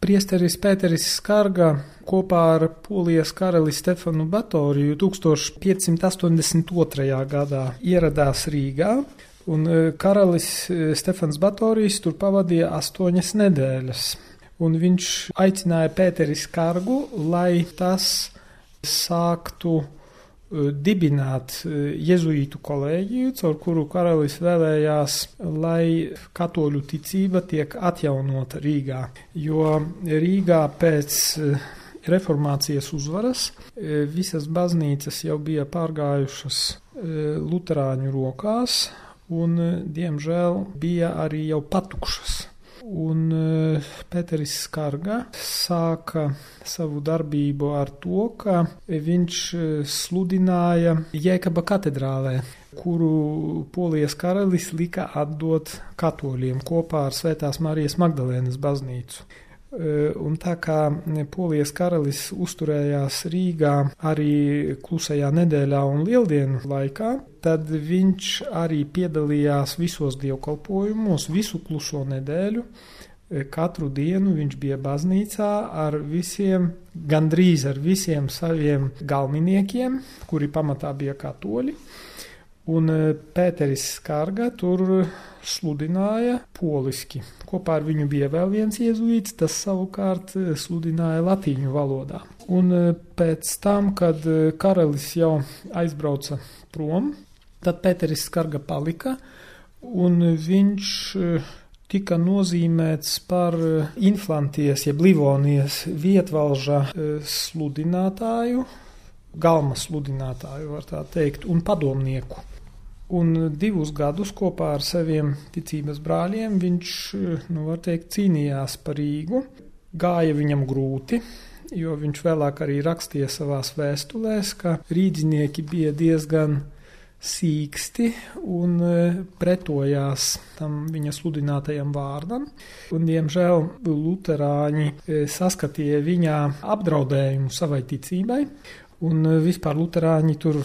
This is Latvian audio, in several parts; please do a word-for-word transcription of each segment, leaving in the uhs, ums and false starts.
Priesteris Pēteris Skarga kopā ar Polijas karali Stefanu Batoriju tūkstoš piecsimt astoņdesmit otrajā gadā ieradās Rīgā, un karalis Stefans Batorijs tur pavadīja astoņas nedēļas. Un viņš aicināja Pēteri Skargu, lai tas sāktu dibināt jezuītu kolēģiju, caur kuru karalis vēlējās, lai katoļu ticība tiek atjaunota Rīgā. Jo Rīgā pēc reformācijas uzvaras visas baznīcas jau bija pārgājušas luterāņu rokās un, diemžēl, bija arī jau patukšas. Un Pēteris Skarga sāka savu darbību ar to, ka viņš sludināja Jēkaba katedrālē, kuru Polijas karalis lika atdot katoļiem kopā ar Svētās Marijas Magdalēnas baznīcu. Un tā kā Polijas karalis uzturējās Rīgā arī klusajā nedēļā un lieldienu laikā, tad viņš arī piedalījās visos dievkalpojumos, visu kluso nedēļu. Katru dienu viņš bija baznīcā ar visiem, gandrīz ar visiem saviem galminiekiem, kuri pamatā bija katoļi. Un Pēteris Skarga tur sludināja poliski. Kopā ar viņu bija vēl viens jezuīts, tas savukārt sludināja latīņu valodā. Un pēc tam, kad karalis jau aizbrauca prom, tad Pēteris Skarga palika, un viņš tika nozīmēts par Inflantijas, jeb Livonijas vietvalža sludinātāju, galma sludinātāju, var tā teikt, un padomnieku. Un divus gadus kopā ar saviem ticības brāļiem viņš, nu, var teikt, cīnījās par Rīgu. Gāja viņam grūti, jo viņš vēlāk arī rakstīja savās vēstulēs, ka rīdzinieki bija diezgan sīksti un pretojās tam viņa sludinātajam vārdam. Un, diemžēl, luterāņi saskatīja viņā apdraudējumu savai ticībai. Un vispār luterāņi tur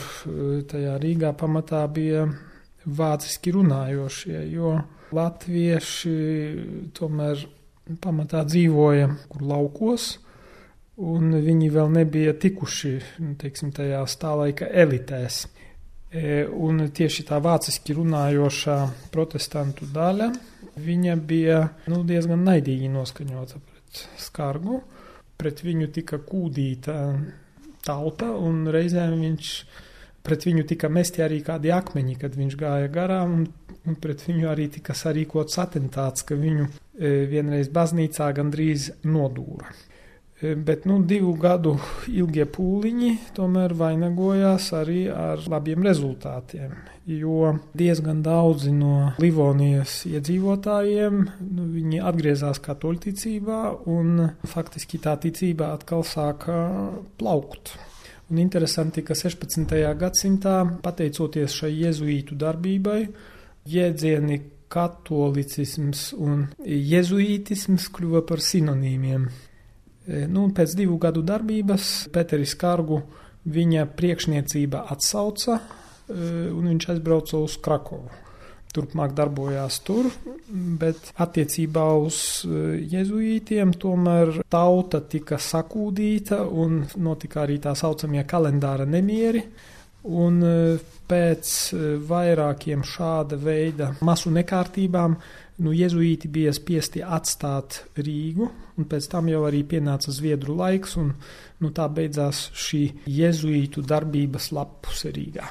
tajā Rīgā pamatā bija vāciski runājošie, jo latvieši tomēr pamatā dzīvoja kur laukos, un viņi vēl nebija tikuši, teiksim, tajās tā laika elitēs. Un tieši tā vāciski runājošā protestantu daļa, viņa bija, nu, diezgan naidīgi noskaņota pret Skargu. Pret viņu tika kūdīta tauta, un reizēm viņš, pret viņu tika mesti arī kādi akmeņi, kad viņš gāja garām, un, un pret viņu arī tika sarīkots atentāts, ka viņu e, vienreiz baznīcā gandrīz nodūra. E, bet, nu, divu gadu ilgie pūliņi tomēr vainagojās arī ar labiem rezultātiem, jo diezgan daudzi no Livonijas iedzīvotājiem, nu, viņi atgriezās katoļticībā, un faktiski tā ticība atkal sāka plaukt. Un interesanti, ka sešpadsmitajā gadsimtā, pateicoties šai jezuītu darbībai, jēdzieni katolicisms un jezuītisms kļuva par sinonīmiem. Nu, pēc divu gadu darbības Pēteris Skargu viņa priekšniecība atsauca, un viņš aizbrauca uz Krakovu. Turpmāk darbojās tur, bet attiecībā uz jezuītiem tomēr tauta tika sakūdīta un notika arī tā saucamie kalendāra nemieri. Un pēc vairākiem šāda veida masu nekārtībām, nu, jezuīti bija spiesti atstāt Rīgu, un pēc tam jau arī pienāca Zviedru laiks, un, nu, tā beidzās šī jezuītu darbības lapuse Rīgā.